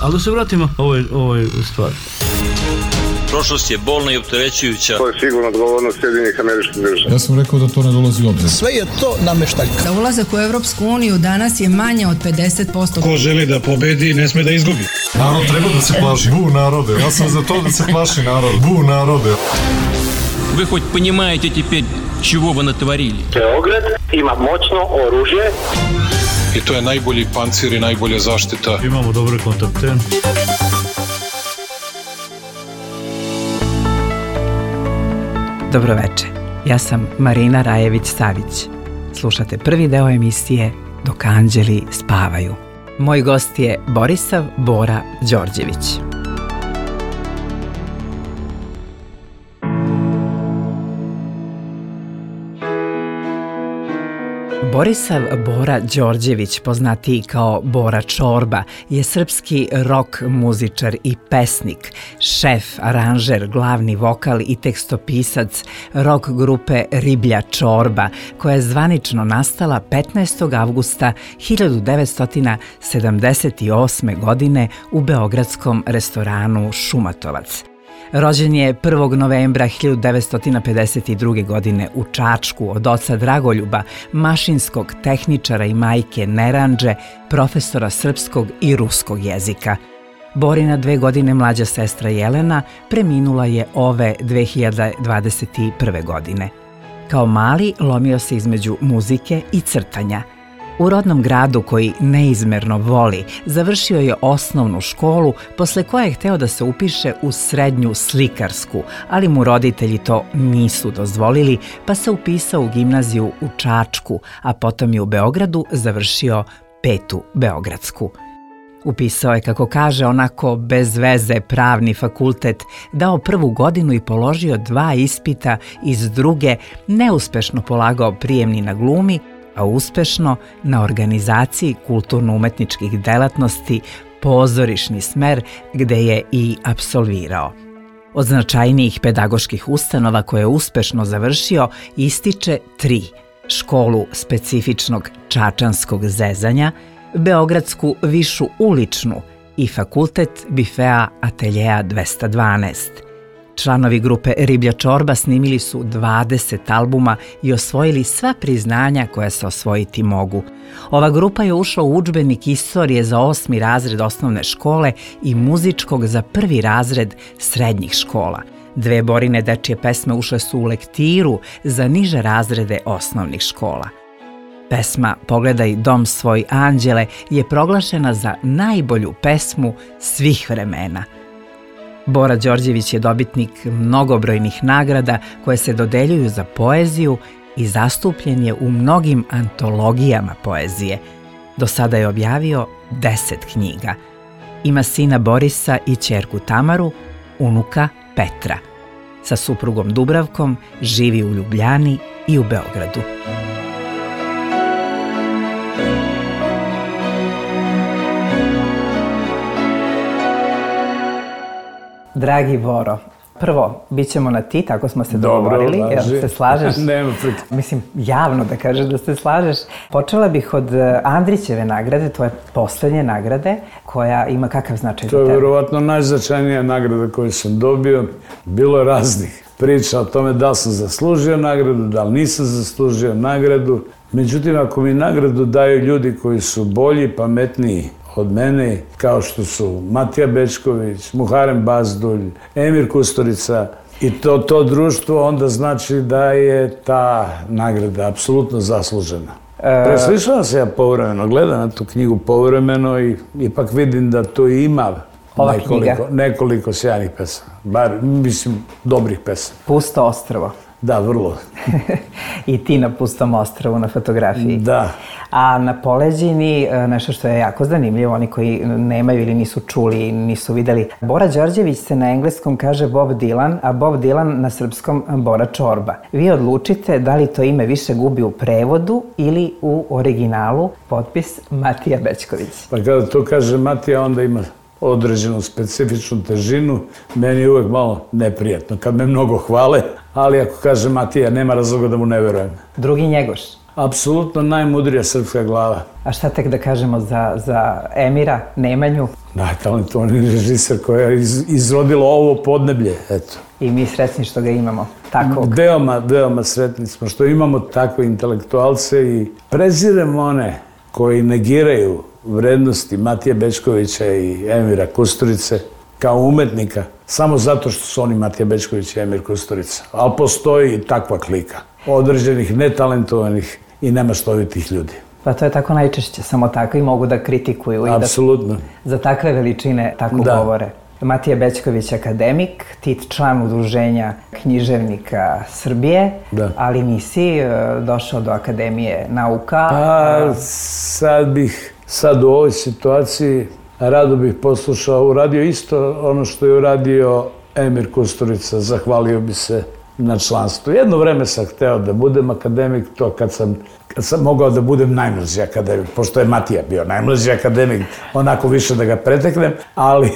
Ali da se vratimo ovoj stvari. Prošlost je bolna i opterećujuća. To je sigurno odgovornost Sjedinjenih Američkih Država. Ja sam rekao da to ne dolazi u obzir. Sve je to nameštaljka. Za ulazak u Evropsku uniju danas je manje od 50%. Ko želi da pobedi, ne sme da izgubi. Narod treba da se plaši. Bu narode. Ja sam za to da se plaši narod. Bu narode. Вы хоть понимаете теперь, чего вы натворили? Beograd ima moćno oružje. I to je najbolji pancir i najbolja zaštita. Imamo dobre kontakte. Dobroveče, ja sam Marina Rajević-Savić. Slušate prvi deo emisije Dok anđeli spavaju. Moj gost je Borisav Bora Đorđević. Borisav Bora Đorđević, poznatiji kao Bora Čorba, je srpski rock muzičar i pesnik, šef, aranžer, glavni vokal i tekstopisac rock grupe Riblja Čorba, koja je zvanično nastala 15. avgusta 1978. godine u beogradskom restoranu Šumatovac. Rođen je 1. novembra 1952. godine u Čačku od oca Dragoljuba, mašinskog tehničara i majke Neranđe, profesora srpskog i ruskog jezika. Borina 2 godine mlađa sestra Jelena preminula je ove 2021. godine. Kao mali lomio se između muzike i crtanja. U rodnom gradu koji neizmerno voli, završio je osnovnu školu, posle koje je hteo da se upiše u srednju slikarsku, ali mu roditelji to nisu dozvolili, pa se upisao u gimnaziju u Čačku, a potom je u Beogradu završio 5. beogradsku. Upisao je, kako kaže, onako bez veze pravni fakultet, dao 1. godinu i položio 2 ispita iz druge, neuspešno polagao prijemni na glumi, a uspešno na organizaciji kulturno-umetničkih delatnosti, pozorišni smer, gde je i apsolvirao. Od značajnijih pedagoških ustanova koje je uspešno završio ističe 3: školu specifičnog čačanskog zezanja, Beogradsku višu uličnu i fakultet bifea ateljeja 212. Članovi grupe Riblja Čorba snimili su 20 albuma i osvojili sva priznanja koja se osvojiti mogu. Ova grupa je ušla u udžbenik istorije za 8. razred osnovne škole i muzičkog za 1. razred srednjih škola. 2 Borine dečije pesme ušle su u lektiru za niže razrede osnovnih škola. Pesma Pogledaj dom svoj anđele je proglašena za najbolju pesmu svih vremena. Bora Đorđević je dobitnik mnogobrojnih nagrada koje se dodeljuju za poeziju i zastupljen je u mnogim antologijama poezije. Do sada je objavio 10 knjiga. Ima sina Borisa i ćerku Tamaru, unuka Petra. Sa suprugom Dubravkom živi u Ljubljani i u Beogradu. Dragi Boro, prvo, bit ćemo na ti, tako smo se dogovorili, jel se slažeš? Nema pred. Mislim, javno da kažeš da se slažeš. Počela bih od Andrićeve nagrade, tvoje poslednje nagrade, koja ima kakav značaj za tebe? To je verovatno najznačajnija nagrada koju sam dobio. Bilo je raznih priča o tome da li sam zaslužio nagradu, da li nisam zaslužio nagradu. Međutim, ako mi nagradu daju ljudi koji su bolji, pametniji od mene, kao što su Matija Bečković, Muharem Bazdulj, Emir Kusturica i to društvo, onda znači da je ta nagrada apsolutno zaslužena. Preslišavam se ja povremeno, gledam na tu knjigu povremeno i ipak vidim da tu ima nekoliko sjajnih pesama, bar, mislim, dobrih pesama. Pusto ostrvo. Da, vrlo. I ti na Pustom ostrvu na fotografiji. Da. A na poleđini, nešto što je jako zanimljivo, oni koji nemaju ili nisu čuli, nisu videli. Bora Đorđević se na engleskom kaže Bob Dylan, a Bob Dylan na srpskom Bora Čorba. Vi odlučite da li to ime više gubi u prevodu ili u originalu, potpis Matija Bečković. Pa kada to kaže Matija, onda ima određenu specifičnu težinu. Meni je uvek malo neprijatno kad me mnogo hvale, ali ako kaže Matija, nema razloga da mu ne verujem. Drugi Njegoš. apsolutno najmudrija srpska glava. A šta tek da kažemo za Emira Nemanju? Najtalentovani režiser koja je izrodilo ovo podneblje, eto. I mi sretni što ga imamo takvog. Veoma sretni smo što imamo takve intelektualce i preziremo one koji negiraju vrednosti Matije Bećkovića i Emira Kusturice kao umetnika, samo zato što su oni Matija Bećković i Emir Kusturica. Ali postoji i takva klika određenih netalentovanih i nemaštovitih ljudi. Pa to je tako najčešće, samo takvi mogu da kritikuju Apsolutno. I da za takve veličine tako govore. Matija Bećković akademik, ti član udruženja književnika Srbije, ali nisi došao do Akademije nauka. Pa sad u ovoj situaciji rado bih poslušao, uradio isto ono što je uradio Emir Kusturica, zahvalio bi se na članstvu. Jedno vreme sam hteo da budem akademik, to kad sam mogao da budem najmlađi akademik, pošto je Matija bio najmlađi akademik, onako više da ga preteknem, ali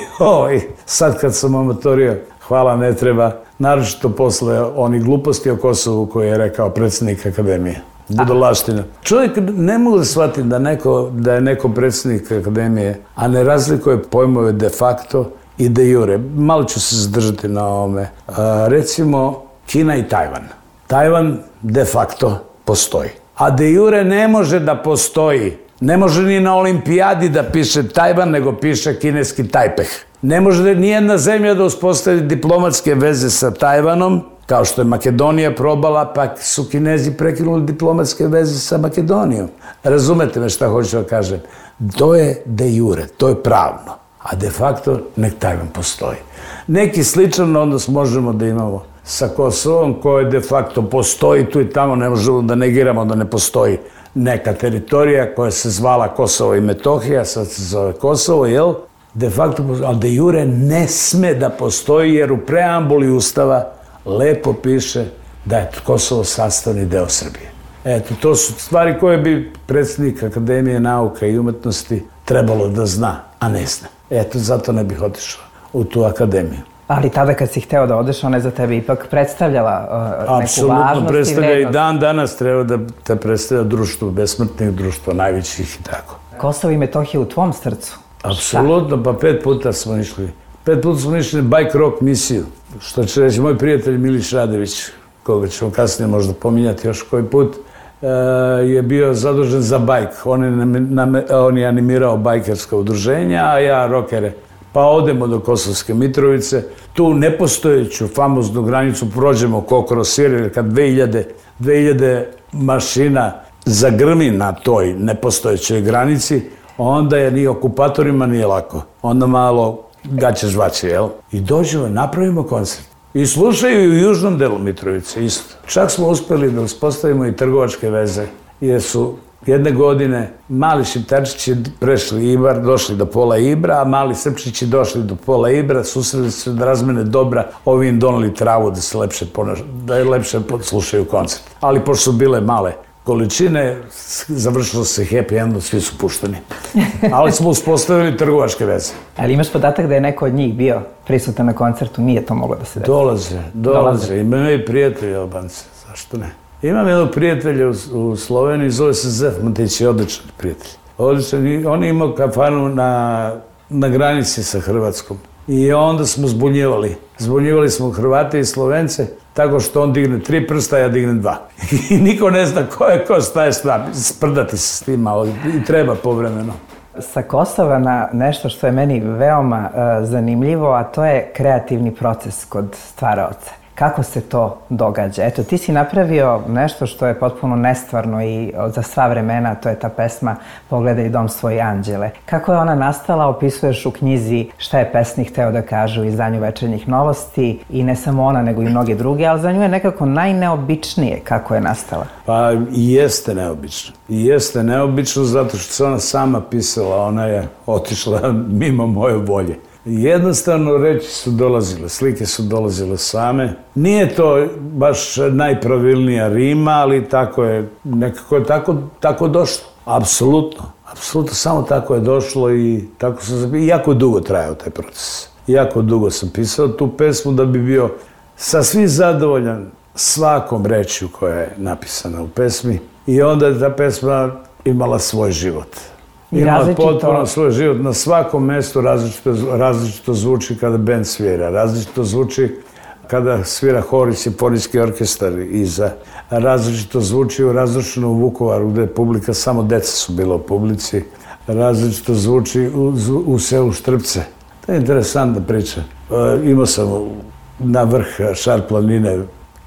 sad kad sam amatorio, hvala ne treba, naročito posle onih gluposti o Kosovu koje je rekao predsjednik Akademije. Budalaština. Čovjek ne mogu da shvatim da je neko predsjednik Akademije, a ne razlikuje pojmove de facto i de jure. Malo ću se zadržati na ovome. Recimo, Kina i Tajvan. Tajvan de facto postoji. A de jure ne može da postoji. Ne može ni na olimpijadi da piše Tajvan, nego piše kineski Tajpeh. Ne može nijedna zemlja da uspostavi diplomatske veze sa Tajvanom, kao što je Makedonija probala, pa su Kinezi prekinuli diplomatske veze sa Makedonijom. Razumete me šta hoću da kažem? To je de jure, to je pravno. A de facto nek Tajvan postoji. Neki sličan odnos možemo da imamo sa Kosovom, koje de facto postoji tu i tamo, ne možemo da negiramo da ne postoji neka teritorija koja se zvala Kosovo i Metohija, sad se zove Kosovo, jel? De facto, ali de jure ne sme da postoji, jer u preambuli Ustava lepo piše da je Kosovo sastavni deo Srbije. Eto, to su stvari koje bi predsjednik Akademije nauka i umetnosti trebalo da zna, a ne zna. Eto, zato ne bih otišao u tu akademiju. Ali tada kad si hteo da odeš, ona je za tebe ipak predstavljala neku važnost i vrednost. Apsolutno predstavlja i dan danas treba da te predstavlja društvo, besmrtnih društva, najvećih i tako. Kosovo i Metohija u tvom srcu? Apsolutno, pa 5 puta smo išli. 5 puta smo išli na bike rock misiju, što će reći moj prijatelj Milić Radević, koga ćemo kasnije možda pominjati još koji put, je bio zadužen za bajk. On je animirao bajkerska udruženja, a ja rokere. Pa odemo do Kosovske Mitrovice, tu nepostojeću famoznu granicu prođemo ko kroz Siriju, jer kad 2000 mašina zagrmi na toj nepostojećoj granici, onda je ni okupatorima nije lako. Onda malo gaće žvaće, jel? I dođemo, napravimo koncert. I slušaju i u južnom delu Mitrovice isto. Čak smo uspeli da uspostavimo i trgovačke veze, jer su jedne godine mali Šiptarčići prešli Ibar, došli do pola Ibra, a mali Srpčići došli do pola Ibra, susreli se da razmene dobra, ovi im doneli travu da je lepše slušaju koncert. Ali pošto su bile male količine, završilo se happy endom, svi su pušteni. Ali smo uspostavili trgovačke veze. Ali imaš podatak da je neko od njih bio prisutan na koncertu, nije to moglo da se desi? Dolaze. Imaju i prijatelji Albanci, zašto ne? Imam jednog prijatelja u Sloveniji, zove se Zef Matić, je odličan prijatelj. On je imao kafanu na granici sa Hrvatskom. I onda smo zbunjivali. Zbunjivali smo Hrvate i Slovence, tako što on digne 3 prsta, ja dignem 2. I niko ne zna ko je ko, šta je šta. Sprdati se s tim malo i treba povremeno. Sa Kosova na nešto što je meni veoma zanimljivo, a to je kreativni proces kod stvaraoca. Kako se to događa? Eto, ti si napravio nešto što je potpuno nestvarno i za sva vremena, to je ta pesma Pogledaj dom svoj anđele. Kako je ona nastala, opisuješ u knjizi Šta je pesnik hteo da kaže u izdanju Večernjih novosti, i ne samo ona, nego i mnogi drugi, ali za nju je nekako najneobičnije kako je nastala. Pa i jeste neobično. I jeste neobično zato što se ona sama pisala, ona je otišla mimo moje volje. Jednostavno reči su dolazile, slike su dolazile same. Nije to baš najpravilnija rima, ali tako je, nekako je tako došlo. Apsolutno, samo tako je došlo i tako sam zapisao. I jako dugo trajao taj proces. Jako dugo sam pisao tu pesmu da bi bio sasvim zadovoljan svakom rečju koja je napisana u pesmi. I onda je ta pesma imala svoj život. Imala potpuno svoj život. Na svakom mestu različito zvuči kada bend svira. Različito zvuči kada svira hor i simfonijski orkestar iza. Različito zvuči u razrušenom Vukovaru gde je publika, samo deca su bila u publici. Različito zvuči u selu Štrpce. To je interesantna priča. Imao sam na vrh Šar planine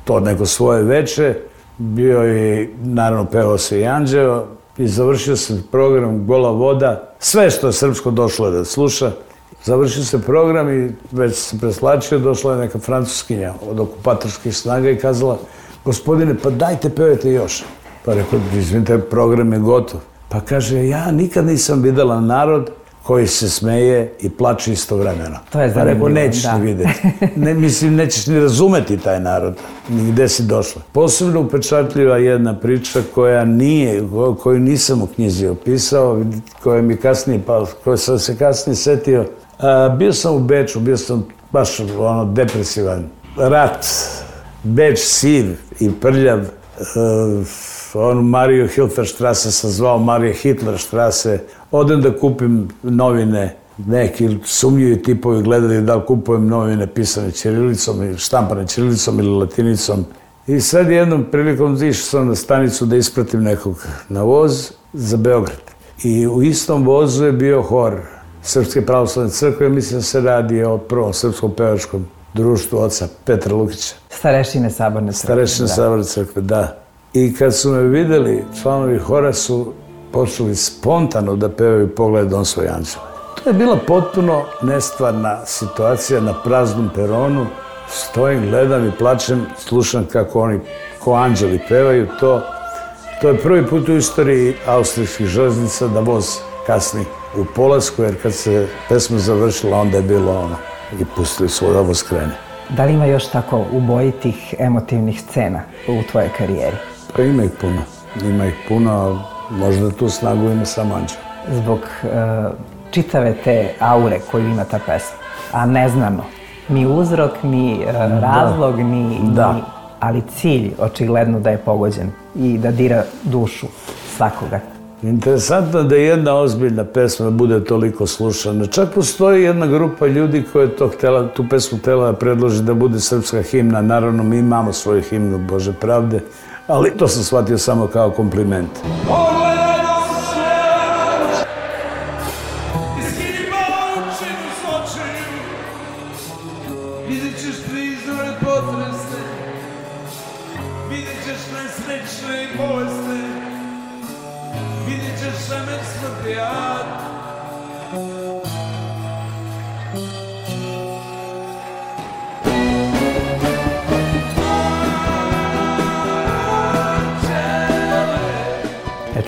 to neko svoje veče. Bio je, naravno, pevao se i Anđeo. I završio se program Gola voda. Sve što je srpsko došlo je da sluša. Završio se program i već se preslačio. Došla je neka francuskinja od okupatorskih snaga i kazala: gospodine, pa dajte, pevajte još. Pa rekao: izvinite, program je gotov. Pa kaže: ja nikad nisam videla narod koji se smeje i plače istovremeno. To je zanimljivo, da. Nećeš ni vidjeti. Mislim, nećeš ni razumeti taj narod, ni gde si došla. Posebno upečatljiva jedna priča koju nisam u knjizi opisao, koja mi kasnije, koju sam se kasnije setio. Bio sam u Beču, bio sam baš depresivan. Rat, Beč siv i prljav, Mariju Hilferstrasse sam zvao Marije Hitlerstrasse. Odem da kupim novine, neki sumnjivi tipovi gledali da li kupujem novine pisane ćirilicom ili štampane ćirilicom ili latinicom. I sad jednom prilikom išao sam na stanicu da ispratim nekog na voz za Beograd. I u istom vozu je bio hor Srpske pravoslavne crkve, mislim da se radi o prvom srpskom pevačkom društvu oca Petra Lukića. Starešine Saborne crkve. Starešine Saborne crkve, da. I kad su me videli, članovi hora su počeli spontano da pevaju Pogledaj dom svoj anđele. To je bila potpuno nestvarna situacija na praznom peronu. Stojim, gledam i plačem, slušam kako oni ko anđeli pevaju to. To je prvi put u istoriji austrijskih železnica da voz kasni u polasku, jer kad se pesma završila, onda je bilo ono i pustili su da voz krene. Da li ima još tako ubojitih emotivnih scena u tvojoj karijeri? Pa ima ih puno, ali možda tu snagu ima samo anđel. Zbog čitave te aure koju ima ta pesma, a neznano, ni uzrok, ni razlog, ali cilj očigledno da je pogođen i da dira dušu svakoga. Interesantno da jedna ozbiljna pesma bude toliko slušana. Čak postoji jedna grupa ljudi koja je tu pesmu htjela da predloži da bude srpska himna. Naravno, mi imamo svoju himnu Bože pravde, ali to sam shvatio samo kao kompliment.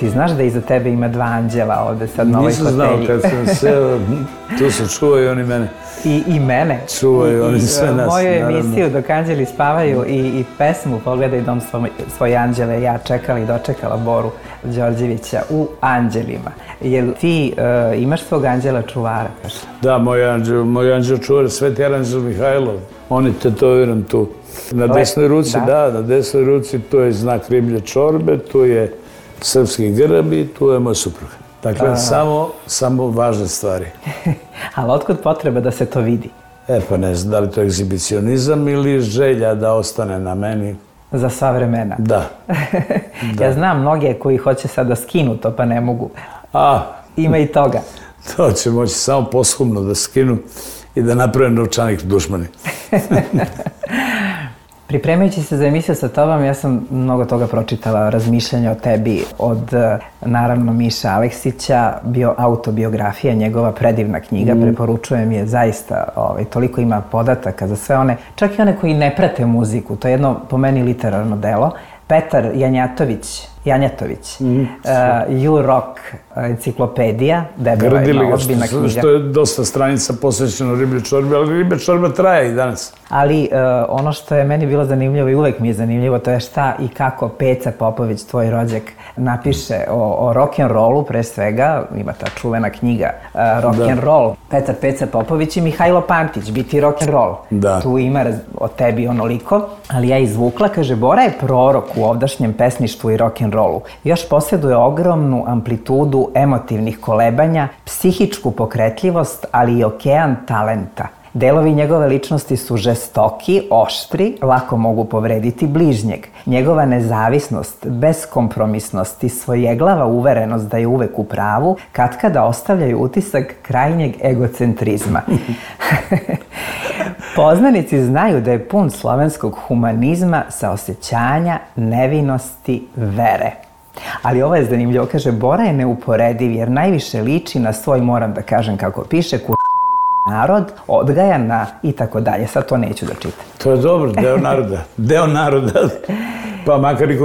Ti znaš da iza tebe ima 2 anđela ovde sad na ovoj fotelji? Nisam znao, kad sam seo, tu su čuvaju oni mene. I mene. Čuvaju oni sve nas, moju naravno. emisiju Dok anđeli spavaju i pesmu Pogledaj dom svoje anđele, ja čekala i dočekala Boru Đorđevića u Anđelima. Jel ti imaš svog anđela čuvara? Da, moj anđel čuvar, Sveti Aranđel Mihajlov. On je tetoviran tu. Na desnoj ruci, na desnoj ruci, tu je znak riblje čorbe, tu je srpski grb i tu je moj suprug. Dakle, samo važne stvari. Ali otkud potreba da se to vidi? Pa ne znam, da li to je egzibicionizam ili želja da ostane na meni. Za sva vremena? Da. Ja znam mnoge koji hoće sad da skinu to, pa ne mogu. Ima i toga. To će moći samo posthumno da skinu i da naprave novčanik dušmani. Pripremajući se za emisiju sa tobom, ja sam mnogo toga pročitala, razmišljanja o tebi od, naravno, Miša Aleksića, autobiografija, njegova predivna knjiga, preporučujem je zaista, toliko ima podataka za sve one, čak i one koji ne prate muziku, to je jedno, po meni, literarno delo. Petar Janjatović, You Rock enciklopedija, debela jedna ozbiljna knjiga. Što je dosta stranica posvećeno riblje čorbe, ali riblje čorba traje i danas. Ali ono što je meni bilo zanimljivo i uvek mi je zanimljivo, to je šta i kako Peca Popović, tvoj rođak, napiše o rock'n'rollu, pre svega, ima ta čuvena knjiga Rock'n'roll, Petar Peca Popović i Mihajlo Pantić, Biti rock'n'roll. Tu ima o tebi onoliko, ali ja izvukla, kaže, Bora je prorok u ovdašnjem pesništvu i rock'n'rollu. rock'n'rollu. Još posjeduje ogromnu amplitudu emotivnih kolebanja, psihičku pokretljivost, ali i okean talenta. Delovi njegove ličnosti su žestoki, oštri, lako mogu povrediti bližnjeg. Njegova nezavisnost, beskompromisnost i svojeglava uverenost da je uvek u pravu, katkada ostavljaju utisak krajnjeg egocentrizma. Poznanici znaju da je pun slovenskog humanizma, saosećanja, nevinosti, vere. Ali ovo je zanimljivo, kaže, Bora je neuporediv jer najviše liči na svoj, moram da kažem kako piše, narod, odgajan na i tako dalje. Sad to neću da čitam. To je dobro, deo naroda. Deo naroda. Pa makar i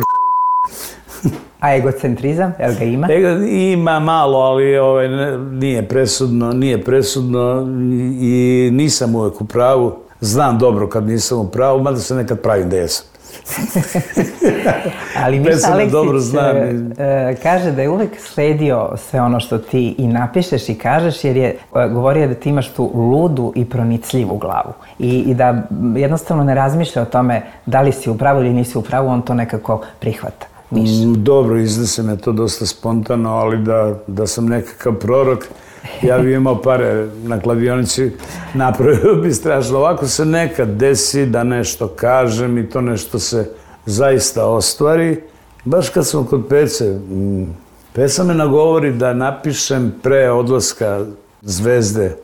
A egocentrizam, jel ga ima? Ima malo, ali nije presudno i nisam uvek u pravu. Znam dobro kad nisam u pravu, mada se nekad pravim da jesam. Ali Miša Aleksić kaže da je uvek sledio sve ono što ti i napišeš i kažeš, jer je govorio da ti imaš tu ludu i pronicljivu glavu i da jednostavno ne razmišlja o tome da li si u pravu ili nisi u pravu, on to nekako prihvata. Dobro, iznese me to dosta spontano, ali da sam nekakav prorok, ja bi imao pare na kladionici, napravio bi strašno. Ovako se nekad desi da nešto kažem i to nešto se zaista ostvari. Baš kad sam kod Pece, Peca me nagovori da napišem pre odlaska Zvezde,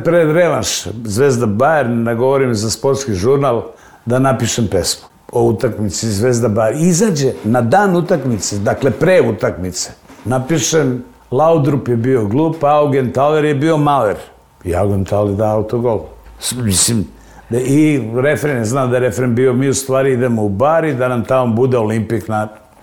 pred revanš Zvezda Bayern, nagovori me za sportski žurnal da napišem pesmu o utakmici Zvezda Bayern. Izađe na dan utakmice, dakle pre utakmice, napišem Laudrup je bio glup, a Augenthaler je bio maler. I Augenthaler da autogol. Mislim, i refren, znam da je refren bio, mi u stvari idemo u bar i da nam tamo bude Olimpik.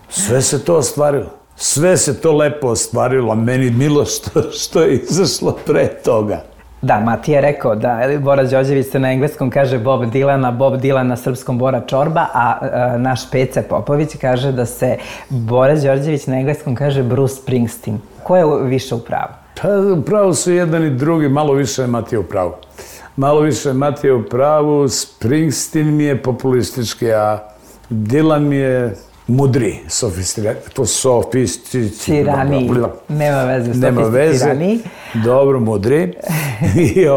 Sve se to ostvarilo. Sve se to lepo ostvarilo, a meni milo što je izašlo pre toga. Da, Matija je rekao da Bora Đorđević se na engleskom kaže Bob Dylan, a Bob Dylan na srpskom Bora Čorba, a naš Peca Popović kaže da se Bora Đorđević na engleskom kaže Bruce Springsteen. Ko je više u pravu? Pa u pravu su jedan i drugi, malo više je Matija u pravu. Malo više je Matija u pravu, Springsteen mi je populistički, a Dylan mi je mudri, sofisticiraniji. Nema veze, sofisticiraniji. Dobro, mudri. I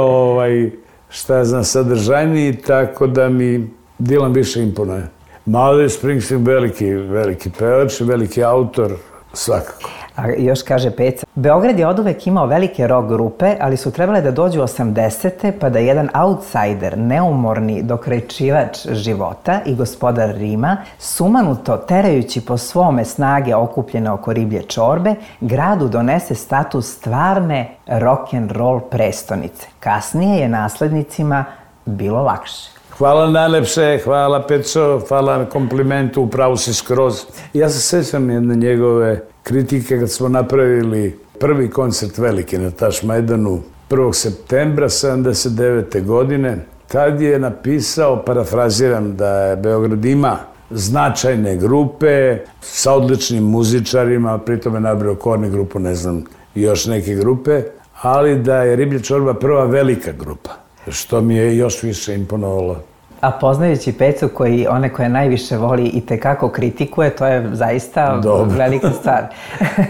šta ja znam, sadržajniji, tako da mi Dylan više imponuje. Malo je Springsteen veliki pevač, veliki autor, svakako. A još kaže Peca, Beograd je oduvek imao velike rock grupe, ali su trebale da dođu 80. pa da jedan outsider, neumorni dokrajčivač života i gospodar Rima, sumanuto terajući po svome snage okupljene oko riblje čorbe, gradu donese status stvarne rock'n'roll prestonice. Kasnije je naslednicima bilo lakše. Hvala najlepše, hvala Peco, hvala na komplimentu, upravo si skroz. Ja se sećam jedne njegove kritike kad smo napravili prvi koncert veliki na Tašmajdanu 1. septembra 1979. godine. Tad je napisao, parafraziram, da Beograd ima značajne grupe sa odličnim muzičarima, pritom je nabrao Korni grupu, ne znam, i još neke grupe, ali da je Riblja čorba prva velika grupa, što mi je još više imponovalo. A poznajući Pecu, one koje najviše voli i tekako kritikuje, to je zaista velika stvar.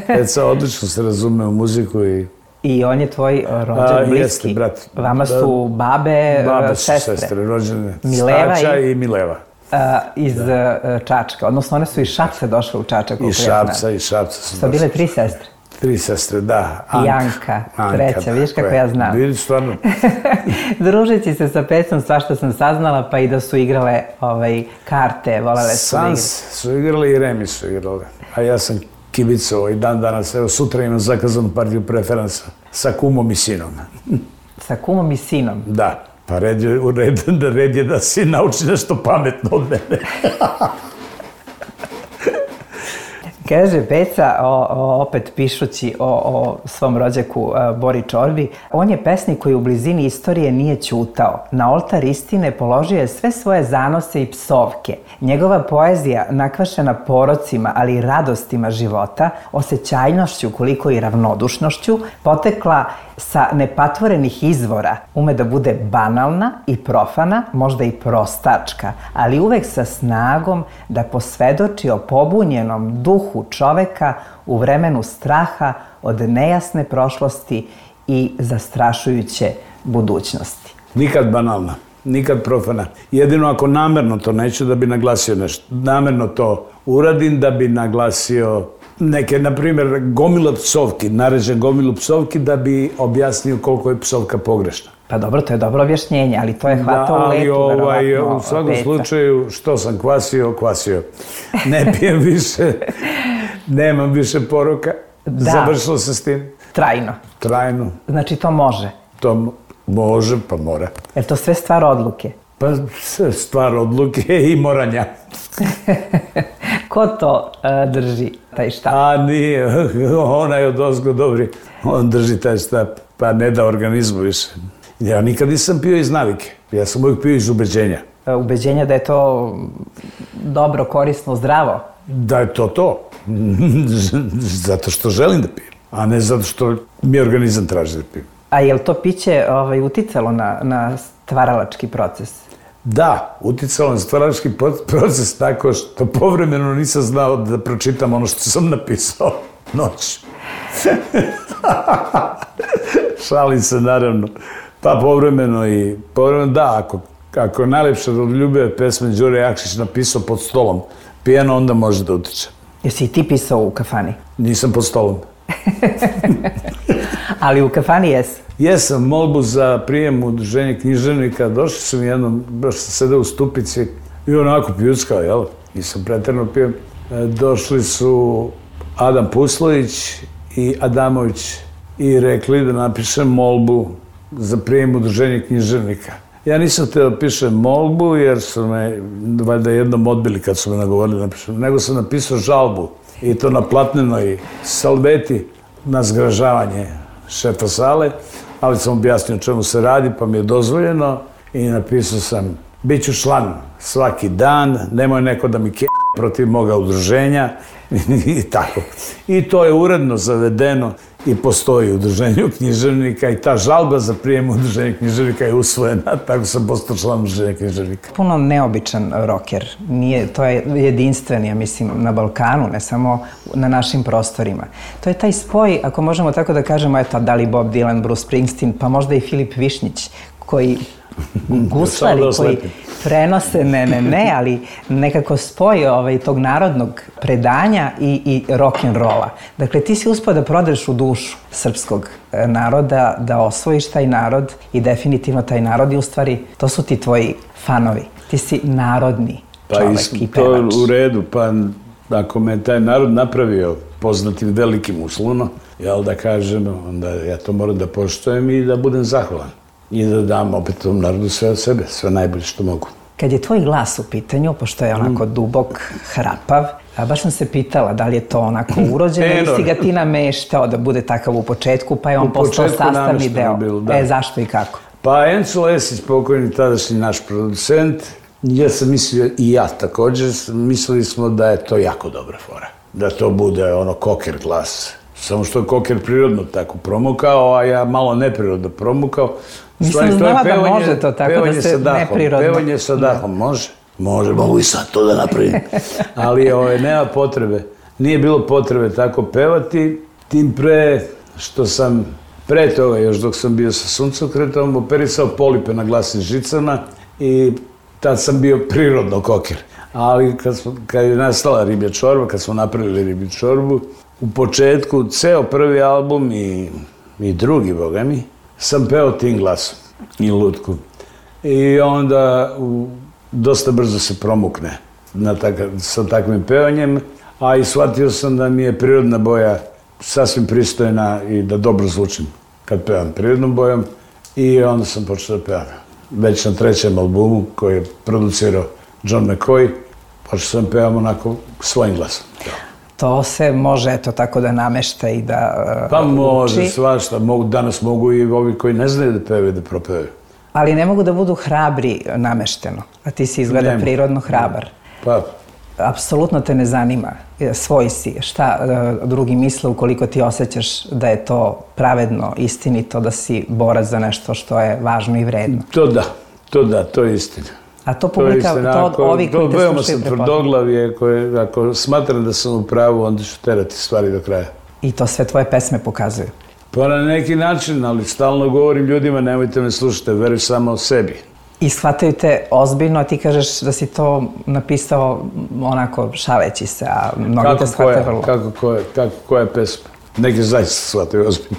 Peca odlično se razume u muziku i on je tvoj rođen bliski. Jeste, brat. Vama su babe, sestre. Babe su sestre, rođene Stača i Mileva. Iz Čačka, odnosno one su iz Šapca došle u Čačak. Iz Šapca su došle. Su bile 3 sestre. 3 sestre, da. I Anka, treća, vidiš kako ja znam. Vidiš, stvarno. Družeći se sa Pecom, svašta sam saznala, pa i da su igrale karte, volele su da igrale. Sans su igrali i Remi su igrali. A ja sam kibicovao i dan danas, evo sutra imam zakazanu partiju preferansa sa kumom i sinom. Sa kumom i sinom? Da, pa red je da si nauči nešto pametno od mene. Kaže Peca, opet pišući o svom rođaku Bori Čorbi, on je pesnik koji u blizini istorije nije ćutao. Na oltar istine položio je sve svoje zanose i psovke. Njegova poezija, nakvašena porocima, ali i radostima života, osjećajnošću koliko i ravnodušnošću, potekla sa nepatvorenih izvora, ume da bude banalna i profana, možda i prostačka, ali uvek sa snagom da posvedoči o pobunjenom duhu čoveka u vremenu straha od nejasne prošlosti i zastrašujuće budućnosti. Nikad banalna, nikad profana. Jedino ako namerno to neću da bi naglasio nešto. Namerno to uradim da bi naglasio neke, na primjer, gomila psovki, naređen gomilu psovki da bi objasnio koliko je psovka pogrešna. Pa dobro, to je dobro objašnjenje, ali to je hvatao u letu, verovatno. U svakom slučaju, što sam kvasio. Ne pijem više, nemam više poroka. Da. Završilo se s tim. Trajno. Znači to može? To može, pa mora. Je to sve stvar odluke? Pa stvar odluke i moranja. Ko to drži, taj štap? A nije, onaj od ozgo dobri. On drži taj štap, pa ne da organizmu više. Ja nikad nisam pio iz navike. Ja sam uvijek pio iz ubeđenja. Ubeđenja da je to dobro, korisno, zdravo? Da je to. Zato što želim da pijem, a ne zato što mi organizam traži da pijem. A je li to piće uticalo na stvaralački proces? Da, uticalo na stvaralački proces tako što povremeno nisam znao da pročitam ono što sam napisao noć. Šalim se, naravno. Pa povremeno, da, ako je najlepša od ljubave pesme Đure Jakšić napisao pod stolom pijano, onda može da utiče. Jesi i ti pisao u kafani? Nisam pod stolom. Ali u kafani jesi? Jesam, molbu za prijem u udruženje književnika. Došli su mi jednom, baš sam sedeo u stupici i onako pljuckao, jel? Nisam pretjerano pio. Došli su Adam Puslović i Adamović i rekli da napišem molbu za prijem u udruženje književnika. Ja nisam htio da pišem molbu jer su me valjda jednom odbili kad su me nagovorili da napišem, nego sam napisao žalbu i to na platnenoj salveti na zgražavanje šefa sale, ali sam objasnio čemu se radi pa mi je dozvoljeno i napisao sam bit ću član svaki dan, nemoj neko da mi kenja protiv moga udruženja i tako. I to je uredno zavedeno i postoji u udruženju književnika i ta žalba za prijem u udruženju književnika je usvojena, tako sam postao član udruženja književnika. Puno neobičan roker, to je jedinstven, ja mislim, na Balkanu, ne samo na našim prostorima. To je taj spoj, ako možemo tako da kažemo, eto, da li Bob Dylan, Bruce Springsteen, pa možda i Filip Višnjić, koji guslari, koji prenose, ne, ali nekako spoj tog narodnog predanja i rock'n'rolla. Dakle, ti si uspio da prodreš u dušu srpskog naroda, da osvojiš taj narod i taj narod i u stvari to su ti tvoji fanovi. Ti si narodni čovek i pevač. To je u redu, pa ako me taj narod napravio poznatim velikim uslovno, jel da kažem, onda ja to moram da poštujem i da budem zahvalan. I da dam opet tom narodu sve od sebe, sve najbolje što mogu. Kad je tvoj glas u pitanju, pošto je onako dubok, hrapav, baš sam se pitala da li je to onako urođeno ili si ga ti nameštao da bude takav u početku, pa je on postao sastavni deo. Zašto i kako? Pa Enzo Lesić, pokojni tadašnji naš producent, ja sam mislio i ja također, mislili smo da je to jako dobra fora. Da to bude ono koker glas. Samo što je koker prirodno tako promukao, a ja malo neprirodno promukao. Nisam znala da može to tako da se neprirodno... Pevanje sa dahom, može. Mogu i sad to da napravim. Ali nema potrebe. Nije bilo potrebe tako pevati, tim pre što sam pre toga, još dok sam bio sa suncokretom, operisao polipe na glasnim žicama i tad sam bio prirodno koker. Ali kad je nastala riblja čorba, kad smo napravili riblju čorbu, u početku, ceo prvi album i drugi, boga mi, sam peo tim glasom i lutku. I onda dosta brzo se promukne sa takvim pevanjem, a i shvatio sam da mi je prirodna boja sasvim pristojna i da dobro zvučim kad pevam prirodnom bojom. I onda sam počeo da pevam. Već na trećem albumu koji je producirao John McCoy, počeo sam pevam onako svojim glasom. to se može eto tako da namešta i da Pa može, uči. svašta. Danas mogu i ovi koji ne znaju da pevaju, da propevaju. Ali ne mogu da budu hrabri namešteno, a ti si izgleda prirodno hrabar. Pa, Apsolutno te ne zanima, svoj si, šta drugi misle ukoliko ti osjećaš da je to pravedno, istinito, da si borac za nešto što je važno i vredno. to je istina. A to publika, to ovi koji te veoma slušaju sam prepoznaju. tvrdoglavije, ako smatram da sam u pravu, onda ću terati stvari do kraja. I to sve tvoje pesme pokazuju. Pa na neki način, ali stalno govorim ljudima, nemojte me slušati, veruj samo o sebi. I shvataju te ozbiljno, a ti kažeš da si to napisao onako šaleći se, a mnogi te shvataju vrlo. Kako koja pesma? Neki zaista shvataju ozbiljno.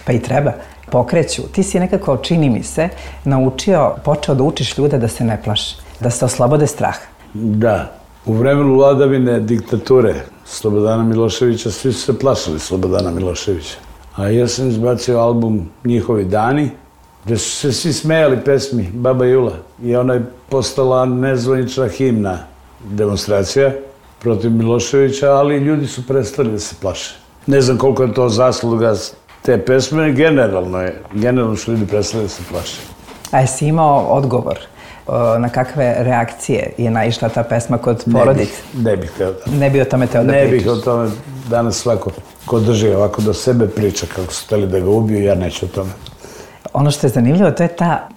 Pa i treba. Pokreću. Ti si nekako, čini mi se, počeo da učiš ljude da se ne plaše, da se oslobode straha. Da. U vremenu vladavine diktature Slobodana Miloševića, svi su se plašili Slobodana Miloševića. A ja sam izbacio album Njihovi dani, gde su se svi smejali pesmi Baba Jula. I ona je postala nezvanična himna demonstracija protiv Miloševića, ali ljudi su prestali da se plaše. Ne znam koliko je to zasluga te pesme, generalno su ljudi prestali da se plaše. A jesi imao odgovor na kakve reakcije je naišla ta pesma kod porodice? Ne bih teo da. Ne bi o tome teo da pričaš? Ne bih o tome. Danas svako ko drži ovako do sebe priča kako su hteli da ga ubiju, ja neću o tome. Ono što je zanimljivo, to je ta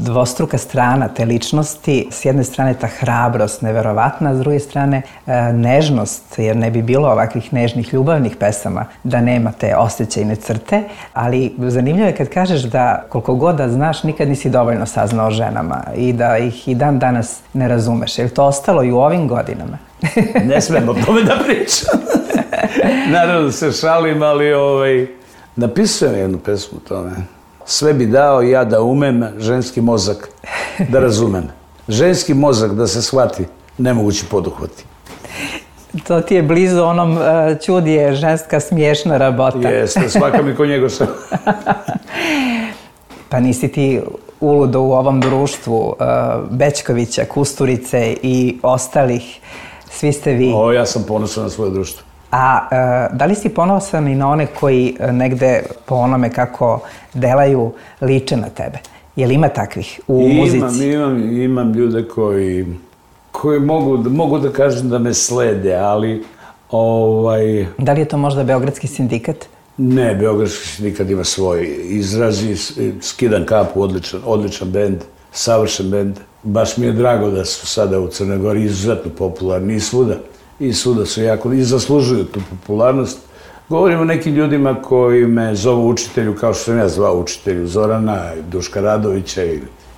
dvostruka strana te ličnosti. S jedne strane ta hrabrost neverovatna, a s druge strane nežnost, jer ne bi bilo ovakvih nežnih ljubavnih pesama da nema te osjećajne crte. Ali zanimljivo je kad kažeš da koliko god da znaš, nikad nisi dovoljno saznao o ženama i da ih i dan danas ne razumeš. Je li to ostalo i u ovim godinama? Ne smem o tome da pričam. Naravno se šalim, ali napisujem jednu pesmu o tome. Sve bi dao ja da umem ženski mozak da razumem. Ženski mozak da se shvati, nemogući poduhvati. To ti je blizu onom čudi je ženska smiješna rabota. Jeste, svaka mi ko njegov sam. Pa nisi ti uludo u ovom društvu Bećkovića, Kusturice i ostalih, svi ste vi. Ja sam ponosan na svoje društvo. A da li si ponosan i na one koji negde po onome kako delaju liče na tebe? Je li ima takvih u muzici? Imam ljude koji mogu da kažem da me slede, ali Da li je to možda Beogradski sindikat? Ne, Beogradski sindikat ima svoj izraz i Skidan kapu, odličan bend, savršen bend. Baš mi je drago da su sada u Crnoj Gori izuzetno popularni i svuda su jako, i zaslužuju tu popularnost. Govorim o nekim ljudima koji me zovu učitelju, kao što sam ja zvao učitelju Zorana, Duška Radovića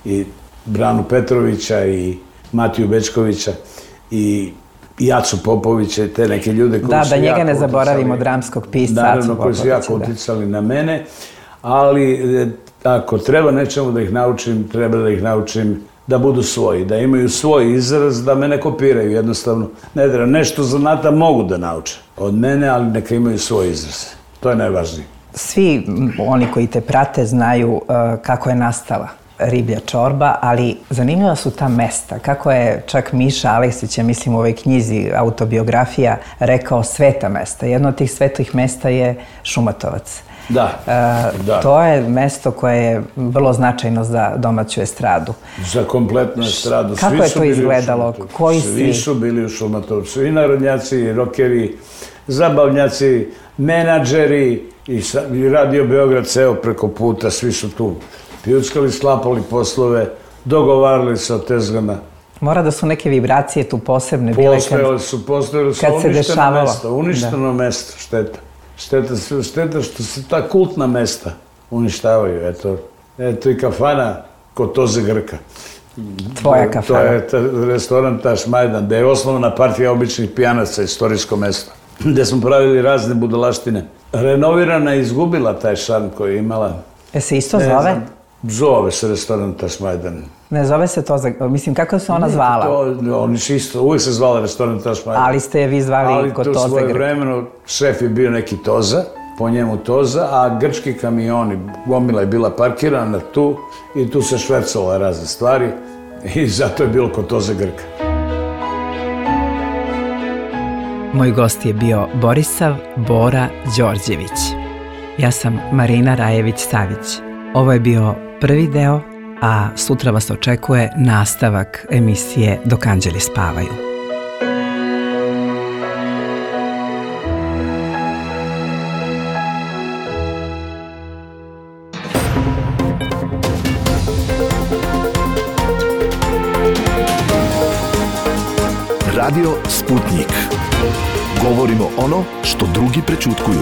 i Branu Petrovića i Matiju Bećkovića i Jacu Popovića i te neke ljude koji su jako... Da njega ne zaboravimo, dramskog pisca Jacu Popovića. Naravno, koji su jako uticali na mene, ali ako treba nečemu da ih naučim, treba da ih naučim da budu svoji, da imaju svoj izraz, da me ne kopiraju jednostavno. Ne treba, nešto zanata mogu da nauče od mene, ali neka imaju svoj izraz. To je najvažnije. Svi oni koji te prate znaju kako je nastala Riblja čorba, ali zanimljiva su ta mesta. Kako je čak Miša Aleksić, ja mislim u ovoj knjizi autobiografija, rekao sveta mesta. Jedno od tih svetih mesta je Šumatovac. Da. To je mesto koje je vrlo značajno za domaću estradu. Za kompletnu estradu. Kako je to izgledalo? Koji svi su bili u Šumatovcu. I narodnjaci, i rokeri, zabavnjaci, menadžeri, i Radio Beograd ceo preko puta, svi su tu pijuckali, sklapali poslove, dogovarali se o tezgama. Mora da su neke vibracije tu posebne bile kad se dešavalo. Uništeno mesto, šteta. Šteta što se ta kultna mesta uništavaju. Eto i kafana kod Toze Grka. Tvoja kafana. To je restoran Taš Majdan, gde je osnovna partija običnih pijanaca, istorijsko mesto, gde smo pravili razne budalaštine. Renovirana je izgubila taj šarm koji je imala. Se isto zove? Zove se restoran Taš Majdan. Ne zove se Toza, mislim, kako se ona zvala? Oni su isto, uvijek se zvala restoran Taš Majdan. Ali ste je vi zvali kod Toze Grka? Ali to svoje vremeno, šef je bio neki Toza, po njemu Toza, a grčki kamioni, gomila je bila parkirana tu i tu se švercala razne stvari i zato je bilo kod Toze Grka. Moj gost je bio Borisav Bora Đorđević. Ja sam Marina Rajević-Savić. Ovo je bio prvi deo, a sutra vas očekuje nastavak emisije Dok anđeli spavaju. Radio Sputnik. Govorimo ono što drugi prećutkuju.